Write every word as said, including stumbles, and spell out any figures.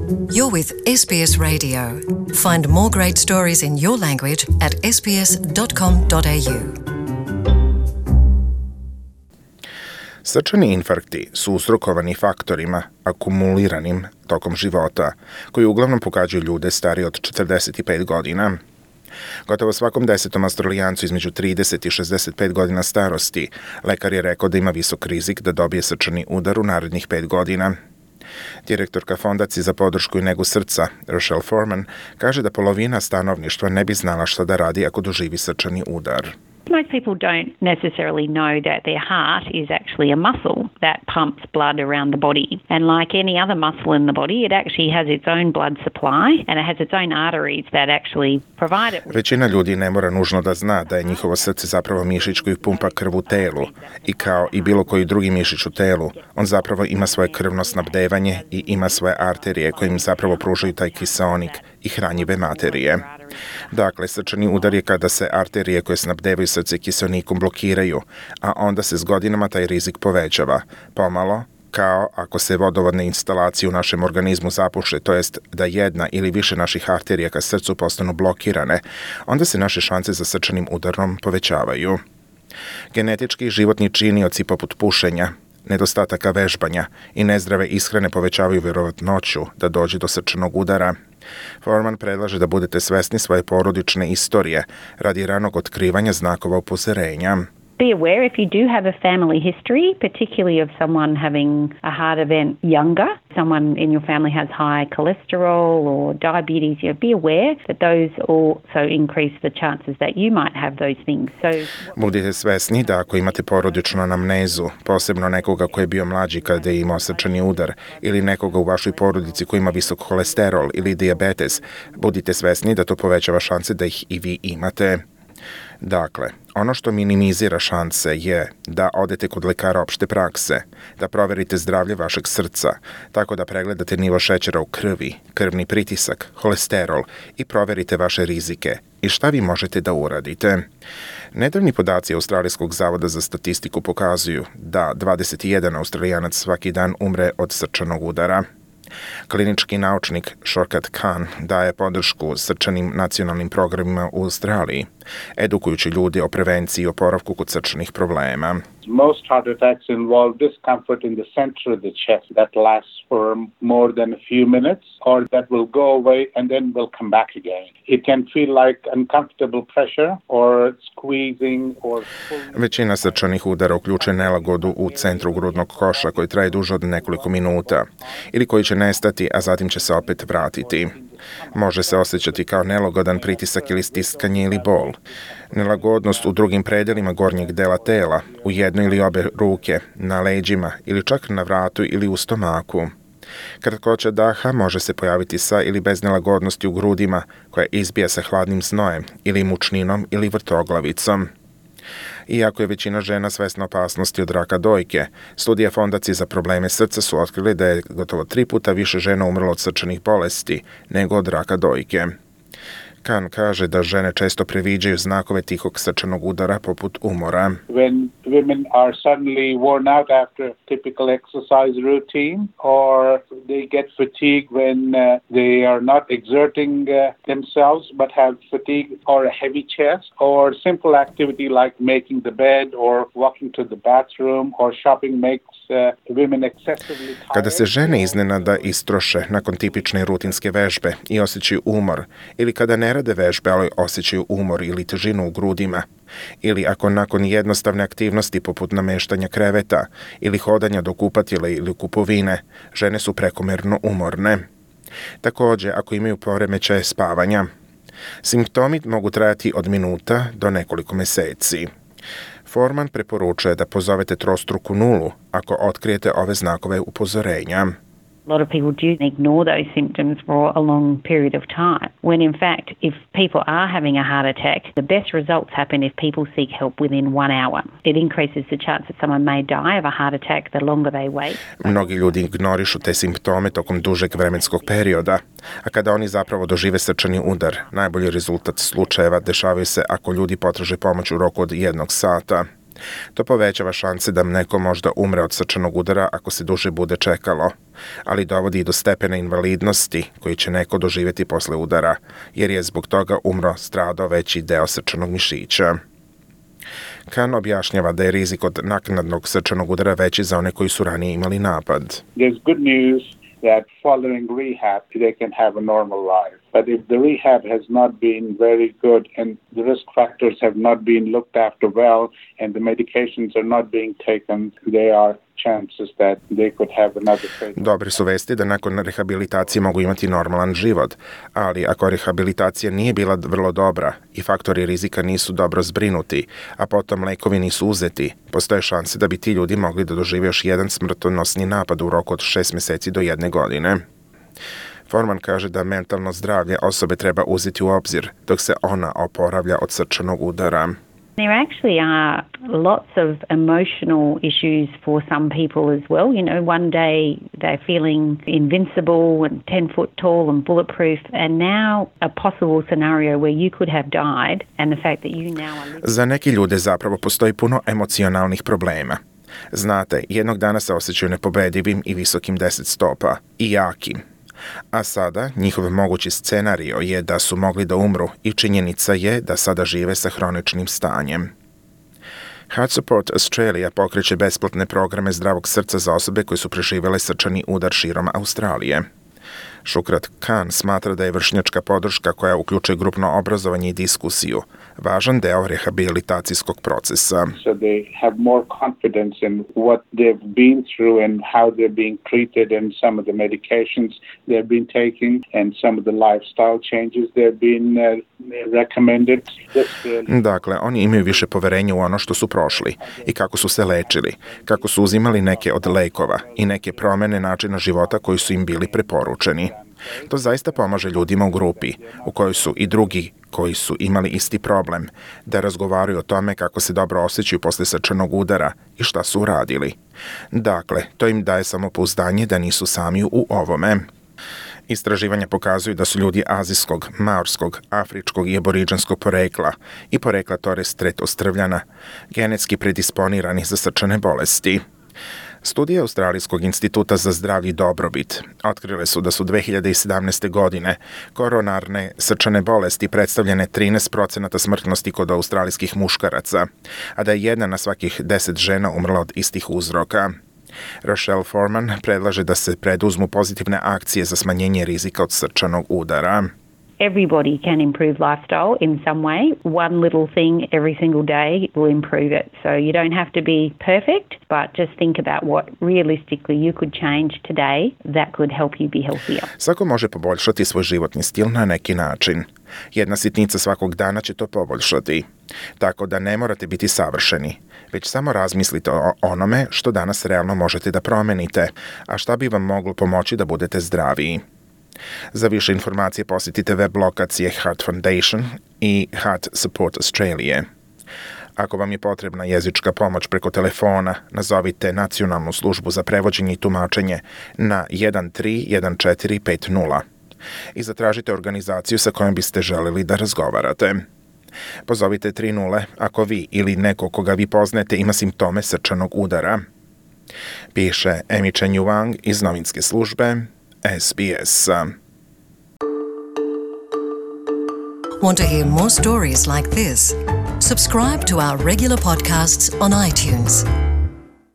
You're with S B S Radio. Find more great stories in your language at s b s dot com dot a u. Srčani infarkti su uzrokovani faktorima akumuliranim tokom života, koji uglavnom pogađaju ljude starije od četrdeset pet godina. Gotovo svakom desetom Australijancu između trideset i šezdeset pet godina starosti lekar je rekao da ima visok rizik da dobije srčani udar u narednih pet godina. Direktorka Fondacije za podršku i negu srca, Rochelle Foreman, kaže da polovina stanovništva ne bi znala šta da radi ako doživi srčani udar. Most people don't necessarily know that their heart is actually a muscle that pumps blood around the body. And like any other muscle in the body, it actually has its own blood supply and it has its own arteries that actually provide it. Većina ljudi ne mora nužno da zna da je njihovo srce zapravo mišić koji pumpa krv u telu i kao i bilo koji drugi mišić u telu, on zapravo ima svoje krvno snabdevanje i ima svoje arterije koje im zapravo pružaju taj kiseonik i hranjive materije. Dakle, srčani udar je kada se arterije koje snabdevaju srce kiseonikom blokiraju, a onda se s godinama taj rizik povećava, pomalo, kao ako se vodovodne instalacije u našem organizmu zapuše, to jest da jedna ili više naših arterija ka srcu postanu blokirane, onda se naše šanse za srčanim udarom povećavaju. Genetički životni činioci poput pušenja, nedostataka vežbanja i nezdrave ishrane povećavaju vjerovatnoću da dođe do srčanog udara. Foreman predlaže da budete svesni svoje porodične istorije radi ranog otkrivanja znakova upozorenja. Be aware if you do have a family history, particularly of someone having a heart event younger, someone in your family has high cholesterol or diabetes, you know, be aware that those also increase the chances that you might have those things. So, budite svesni da ako imate porodičnu anamnezu, posebno nekoga koji je bio mlađi kada je imao srčani udar ili nekoga u vašoj porodici koji ima visok holesterol ili dijabetes, budite svesni da to povećava šanse da ih i vi imate. Dakle, ono što minimizira šanse je da odete kod lekara opšte prakse, da proverite zdravlje vašeg srca, tako da pregledate nivo šećera u krvi, krvni pritisak, holesterol i proverite vaše rizike i šta vi možete da uradite. Nedavni podaci Australijskog zavoda za statistiku pokazuju da dvadeset jedan Australijanac svaki dan umre od srčanog udara. Klinički naučnik Shorkat Khan daje podršku srčanim nacionalnim programima u Australiji, edukujući ljudi o prevenciji i oporavku kod srčanih problema. Most heart attacks involve discomfort in the center of the chest that lasts for more than a few minutes or that will go away and then will come back again. It can feel like uncomfortable pressure or squeezing or pulling. Većina srčanih udara uključuje nelagodu u centru grudnog koša koji traje duže od nekoliko minuta ili koji će nestati, a zatim će se opet vratiti. Može se osjećati kao nelagodan pritisak ili stiskanje ili bol. Nelagodnost u drugim predelima gornjeg dela tela, u jednoj ili obe ruke, na leđima ili čak na vratu ili u stomaku. Kratkoća daha može se pojaviti sa ili bez nelagodnosti u grudima koja izbija sa hladnim znojem ili mučninom ili vrtoglavicom. Iako je većina žena svesna opasnosti od raka dojke, studije Fondacije za probleme srca su otkrile da je gotovo tri puta više žena umrlo od srčanih bolesti nego od raka dojke. Khan kaže da žene često previđaju znakove tihog srčanog udara poput umora. When women are suddenly worn out after a typical exercise routine or they get fatigue when uh, they are not exerting uh, themselves but have fatigue or a heavy chest or simple activity like making the bed or walking to the bathroom or shopping makes uh, women excessively tired. Kada se žene iznenada istroše nakon tipične rutinske vežbe i osjećaju umor, ili kada ne rade vežbe, ali osjećaju umor ili težinu u grudima, ili ako nakon jednostavne aktivnosti poput nameštanja kreveta ili hodanja do kupatila ili kupovine, žene su prekomerno umorne. Također, ako imaju poremećaje spavanja, simptomi mogu trajati od minuta do nekoliko meseci. Foreman preporučuje da pozovete trostruku nulu ako otkrijete ove znakove upozorenja. A lot of people do ignore those symptoms for a long period of time, when in fact, if people are having a heart attack, the best results happen if people seek help within one hour. It increases the chance that someone may die of a heart attack the longer they wait. Mnogi ljudi ignorišu te simptome tokom dužeg vremenskog perioda, a kada oni zapravo dožive srčani udar, najbolji rezultat slučajeva dešavaju se ako ljudi potraže pomoć u roku od jednog sata. To povećava šanse da neko možda umre od srčanog udara ako se duže bude čekalo, ali dovodi i do stepena invalidnosti koji će neko doživjeti posle udara, jer je zbog toga umro stradao veći deo srčanog mišića. Khan objašnjava da je rizik od naknadnog srčanog udara veći za one koji su ranije imali napad. There's good news that following rehab they can have a normal life. But if the rehab has not been very good and the risk factors have not been looked after well and the medications are not being taken, there are chances that they could have another fatal. Dobre su vesti da nakon rehabilitacije mogu imati normalan život, ali ako rehabilitacija nije bila vrlo dobra i faktori rizika nisu dobro zbrinuti, a potom lekovi nisu uzeti, postoje šanse da bi ti ljudi mogli da dožive još jedan smrtonosni napad u roku od šest meseci do jedne godine. Forman kaže da mentalno zdravlje osobe treba uzeti u obzir dok se ona oporavlja od srčanog udara. There actually are lots of emotional issues for some people as well. You know, one day they're feeling invincible and ten foot tall and bulletproof, and now a possible scenario where you could have died and the fact that you now are living. Za neki ljude zapravo postoji puno emocionalnih problema. Znate, jednog dana se osjećaju nepobedivim i visokim deset stopa i jakim. A sada njihov mogući scenario je da su mogli da umru i činjenica je da sada žive sa hroničnim stanjem. Heart Support Australia pokreće besplatne programe zdravog srca za osobe koje su preživjele srčani udar širom Australije. Shukrat Khan smatra da je vršnjačka podrška koja uključuje grupno obrazovanje i diskusiju važan deo rehabilitacijskog procesa. So they have more confidence in what they've been through and how they're being treated and some of the medications they've been taking and some of the lifestyle changes they've been uh, recommended. Dakle, oni imaju više poverenja u ono što su prošli i kako su se lečili, kako su uzimali neke od lekova i neke promene načina života koji su im bili preporučeni. To zaista pomaže ljudima u grupi, u kojoj su i drugi koji su imali isti problem, da razgovaraju o tome kako se dobro osjećaju posle srčanog udara i šta su uradili. Dakle, to im daje samopouzdanje da nisu sami u ovome. Istraživanja pokazuju da su ljudi azijskog, maorskog, afričkog i aboriđanskog porekla i porekla Torres Strait Ostrvljana genetski predisponirani za srčane bolesti. Studije Australijskog instituta za zdravlje i dobrobit otkrile su da su dve hiljade sedamnaeste. godine koronarne srčane bolesti predstavljene trinaest procenata smrtnosti kod australijskih muškaraca, a da je jedna na svakih deset žena umrla od istih uzroka. Rochelle Foreman predlaže da se preduzmu pozitivne akcije za smanjenje rizika od srčanog udara. Everybody can improve lifestyle in some way. One little thing every single day will improve it. So you don't have to be perfect, but just think about what realistically you could change today that could help you be healthier. Svako može poboljšati svoj životni stil na neki način. Jedna sitnica svakog dana će to poboljšati. Tako da ne morate biti savršeni, već samo razmislite o onome što danas realno možete da promenite, a šta bi vam moglo pomoći da budete zdraviji. Za više informacije posjetite web lokacije Heart Foundation i Heart Support Australia. Ako vam je potrebna jezička pomoć preko telefona, nazovite Nacionalnu službu za prevođenje i tumačenje na jedan tri jedan četiri pet nula i zatražite organizaciju sa kojom biste želeli da razgovarate. Pozovite tri nula ako vi ili neko koga vi poznajete ima simptome srčanog udara. Piše Emi Chen Yuang iz novinske službe S B S. Want to hear more stories like this? Subscribe to our regular podcasts on iTunes.